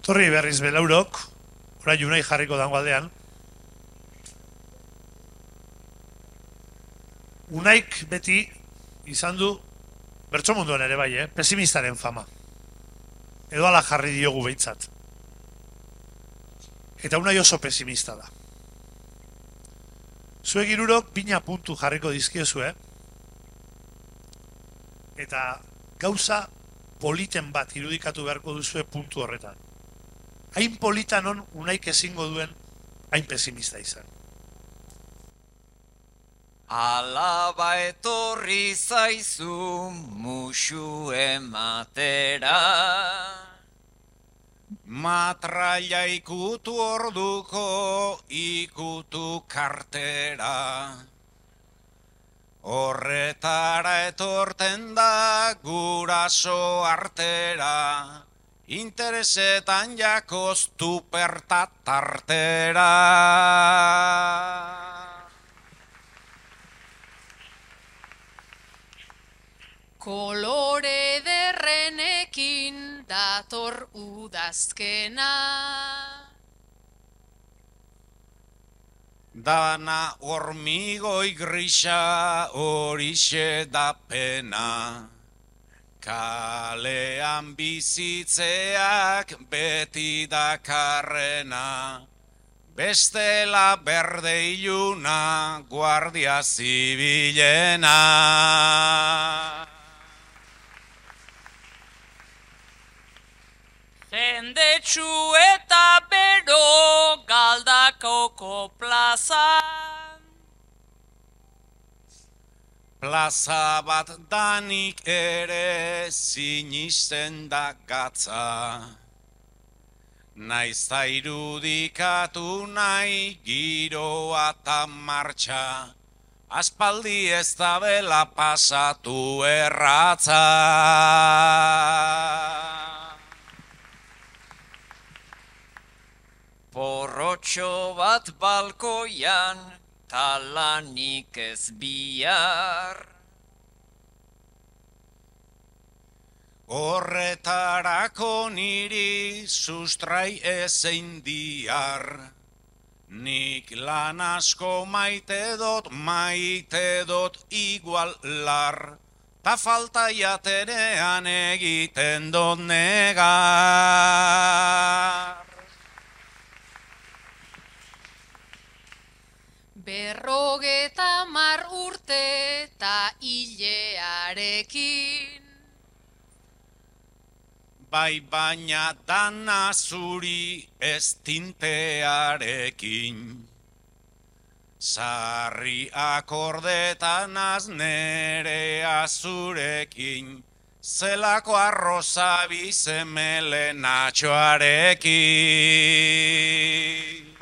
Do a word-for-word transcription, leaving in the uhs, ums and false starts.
Torri berriz belaurok, orain unai jarriko dango aldean. Unaik beti izan du, bertso munduan ere bai, eh? Pesimistaren fama. Edo ala jarri diogu behintzat. Eta unai oso pesimista da. Zuek hirurok bina puntu jarriko dizkiozue, eta gauza politen bat irudikatu beharko duzue puntu horretan. Hain polita non unaik ezingo duen hain pesimista izan. Alaba etorri zaizu musu ematera, matraia ikutu orduko ikutu kartera. Horretara etorten da guraso artera, interesetan jakoz tupertat tartera. Kolore derrenekin dator udazkena, dana hormigoi grisa horixe da pena, kalean bizitzeak beti dakarrena, bestela berde iluna guardia zibilena. Jendetsu eta bero Galdakoko plazan, Plaza bat danik ere sinisten da gatza, naizta irudikatu nahi giroa eta martxa, aspaldi ez da bela pasatu erratza. porrotxo bat balkoian, talanik ez bihar. Horretarako niri sustrai ezein diar, nik lan asko maite dot, maite dot igual lar, ta falta jaterean egiten dot negar. berrogeta mar urte eta hilearekin. Bai baina dana zuri ez tintearekin, sarri akordetan az nere azurekin, zelako arroza bizemelenatxoarekin.